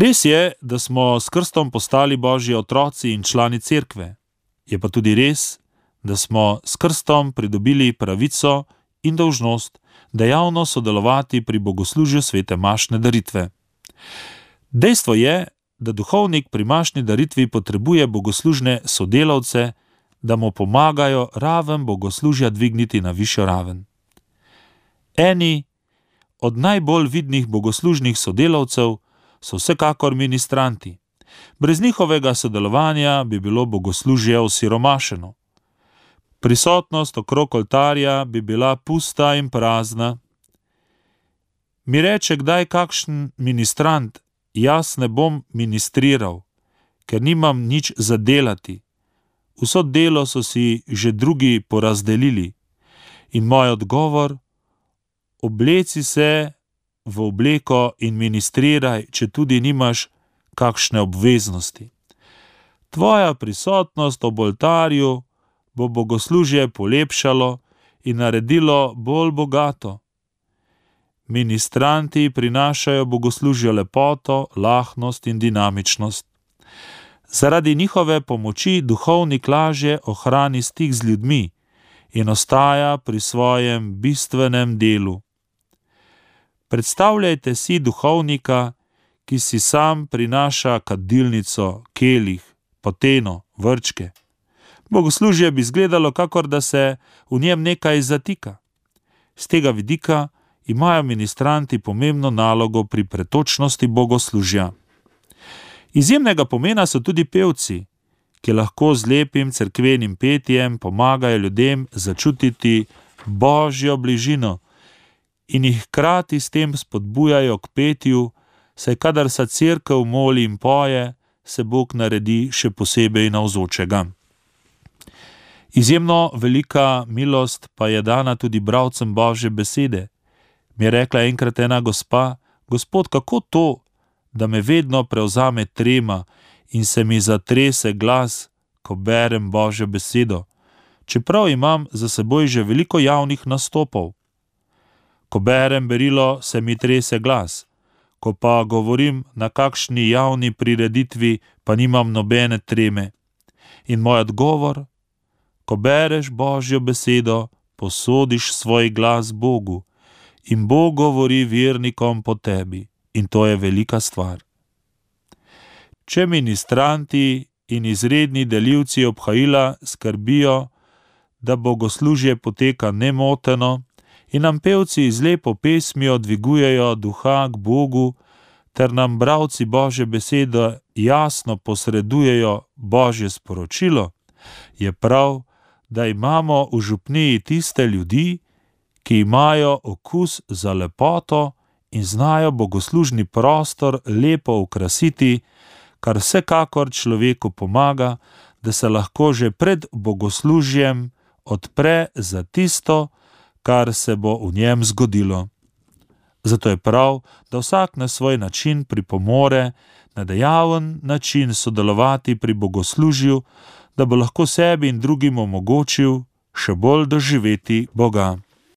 Res je, da smo s krstom postali Božji otroci in člani cerkve. Je pa tudi res, da smo s krstom pridobili pravico in dolžnost dejavno sodelovati pri bogoslužju svete mašne daritve. Dejstvo je, da duhovnik pri mašni daritvi potrebuje bogoslužne sodelavce, da mu pomagajo raven bogoslužja dvigniti na višjo raven. Eni od najbolj vidnih bogoslužnih sodelavcev so vsekakor ministranti. Brez njihovega sodelovanja bi bilo bogoslužje osiromašeno. Prisotnost okrog oltarja bi bila pusta in prazna. Mi reče kdaj kakšen ministrant: jaz ne bom ministriral, ker nimam nič za delati. Vso delo so si že drugi porazdelili. In moj odgovor: obleci se v obleko in ministriraj, če tudi nimaš kakšne obveznosti. Tvoja prisotnost ob oltarju bo bogoslužje polepšalo in naredilo bolj bogato. Ministranti prinašajo bogoslužju lepoto, lahnost in dinamičnost. Zaradi njihove pomoči duhovnik lažje ohrani stik z ljudmi in ostaja pri svojem bistvenem delu. Predstavljajte si duhovnika, ki si sam prinaša kadilnico, kelih, poteno, vrčke. Bogoslužje bi izgledalo, kakor da se v njem nekaj zatika. Z tega vidika imajo ministranti pomembno nalogo pri pretočnosti bogoslužja. Izjemnega pomena so tudi pevci, ki lahko z lepim cerkvenim petjem pomagajo ljudem začutiti Božjo bližino in jih hkrati s tem spodbujajo k petju, saj kadar se cerkev moli in poje, se Bog naredi še posebej navzočega. Izjemno velika milost pa je dana tudi bralcem Božje besede. Mi je rekla enkrat ena gospa: Gospod, kako to, da me vedno prevzame trema in se mi zatrese glas, ko berem Božjo besedo, čeprav imam za seboj že veliko javnih nastopov. Ko berem berilo, se mi trese glas, ko pa govorim na kakšni javni prireditvi, pa nimam nobene treme. In moj odgovor: ko bereš Božjo besedo, posodiš svoj glas Bogu in Bog govori vernikom po tebi. In to je velika stvar. Če ministranti in izredni delivci obhajila skrbijo, da bogoslužje poteka nemoteno in nam pevci z lepo pesmijo dvigujejo duha k Bogu, ter nam bralci Božje besede jasno posredujejo Božje sporočilo, je prav, da imamo v župniji tiste ljudi, ki imajo okus za lepoto in znajo bogoslužni prostor lepo okrasiti, kar vsekakor človeku pomaga, da se lahko že pred bogoslužjem odpre za tisto, kar se bo v njem zgodilo. Zato je prav, da vsak na svoj način pripomore na dejaven način sodelovati pri bogoslužju, da bo lahko sebi in drugim omogočil še bolj doživeti Boga.